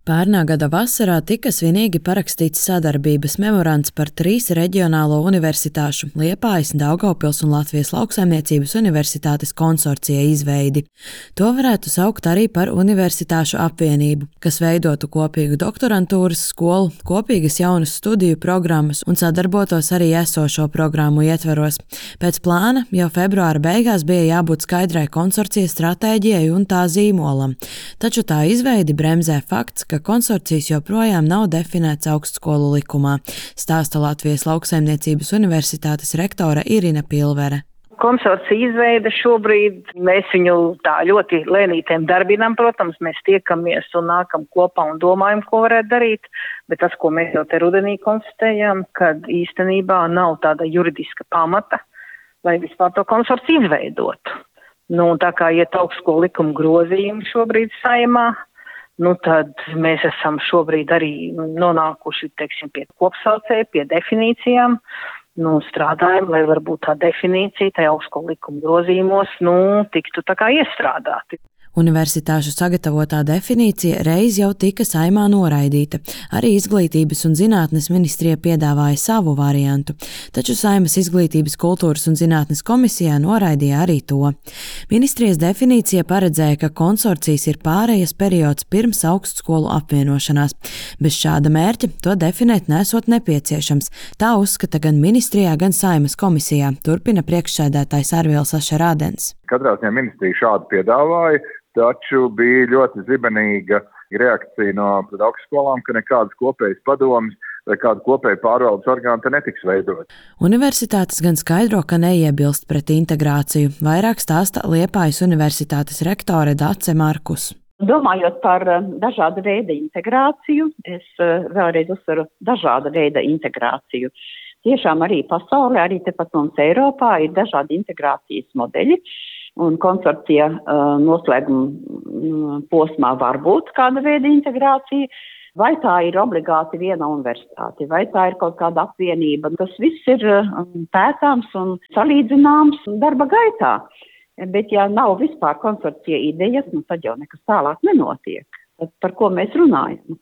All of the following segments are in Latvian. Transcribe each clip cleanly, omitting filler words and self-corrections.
Pērnā gada vasarā tika svinīgi parakstīts sadarbības memorands par 3 reģionālo universitāšu – Liepājas, Daugavpils un Latvijas Lauksaimniecības universitātes konsorcija izveidi. To varētu saukt arī par universitāšu apvienību, kas veidotu kopīgu doktorantūras skolu, kopīgas jaunas studiju programmas un sadarbotos arī esošo programmu ietveros. Pēc plāna jau februāra beigās bija jābūt skaidrai konsorcija stratēģijai un tā zīmolam, taču tā izveidi bremzē fakts, ka konsorcijas joprojām nav definēts augstskolu likumā, stāsta Latvijas Lauksaimniecības universitātes rektore Irina Pilvere. Konsorcija izveide šobrīd, mēs viņu tā ļoti lēnītēm darbinām, protams, mēs tiekamies un nākam kopā un domājam, ko varētu darīt, bet tas, ko mēs jau te rudenī konstatējām, kad īstenībā nav tāda juridiska pamata, lai vispār to konsorciju izveidotu. Tā kā iet augstskolu likuma grozījumi šobrīd Saeimā, tad mēs esam šobrīd arī nonākuši, pie kopsaucēja, pie definīcijām. Strādājam, lai varbūt tā definīcija tajā augstskolu likuma grozījumos, tiktu tā kā iestrādāti. Universitāšu sagatavotā definīcija reiz jau tika Saeimā noraidīta. Arī Izglītības un zinātnes ministrija piedāvāja savu variantu, taču Saeimas Izglītības, kultūras un zinātnes komisijā noraidīja arī to. Ministrijas definīcija paredzēja, ka konsorcijas ir pārejas periods pirms augstskolu apvienošanās. Bez šāda mērķa to definēt nesot nepieciešams. Tā uzskata gan ministrijā, gan Saeimas komisijā, turpina priekšsēdētājs Arvils Ašerādens. Katrā ziņā ministrija šādu piedāvāja, taču bija ļoti zibenīga reakcija no augstskolām, ka nekādas kopējas padomas vai kāda kopēja pārvaldes orgāna te netiks veidot. Universitātes gan skaidro, ka neiebilst pret integrāciju, vairāk stāsta Liepājas universitātes rektore Dace Markus. Domājot par dažāda veida integrāciju, es vēlreiz uzsveru dažāda veida integrāciju. Tiešām arī pasaulē, arī tepat mums Eiropā ir dažādi integrācijas modeļi. Un konsorcija noslēguma posmā var būt kāda veida integrācija, vai tā ir obligāti viena universitāte, vai tā ir kaut kāda apvienība. Tas viss ir pētāms un salīdzināms darba gaitā. Bet ja nav vispār konsorcija idejas, tad jau nekas tālāk nenotiek. Tad par ko mēs runājam?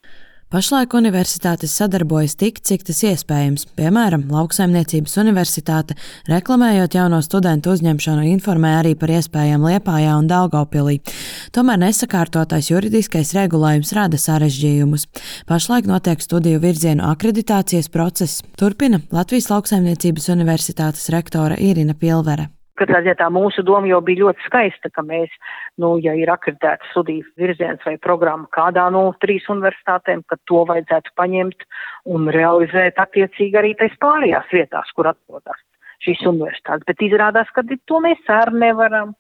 Pašlaik universitātes sadarbojas tik, cik tas iespējams. Piemēram, Lauksaimniecības universitāte, reklamējot jauno studentu uzņemšanu, informē arī par iespējām Liepājā un Daugavpilī. Tomēr nesakārtotais juridiskais regulējums rada sarežģījumus. Pašlaik notiek studiju virzienu akreditācijas process, turpina Latvijas Lauksaimniecības universitātes rektore Irina Pilvere. Katrā ziņā tā mūsu doma jau bija ļoti skaista, ka mēs, ja ir akreditēta studiju virziens vai programma kādā no 3 universitātēm, ka to vajadzētu paņemt un realizēt attiecīgi arī tais pārējās vietās, kur atrodas šīs universitātes. Bet izrādās, ka to mēs arī nevaram.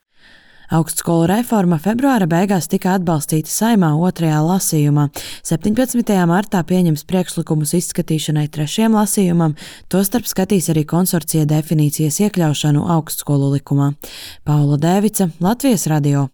Augstskolu reforma februāra beigās tika atbalstīta Saeimā 2. lasījumā. 17. martā pieņems priekšlikumus izskatīšanai 3. lasījumam, tostarp skatīs arī konsorcija definīcijas iekļaušanu augstskolu likumā. Paula Dēvica, Latvijas radio.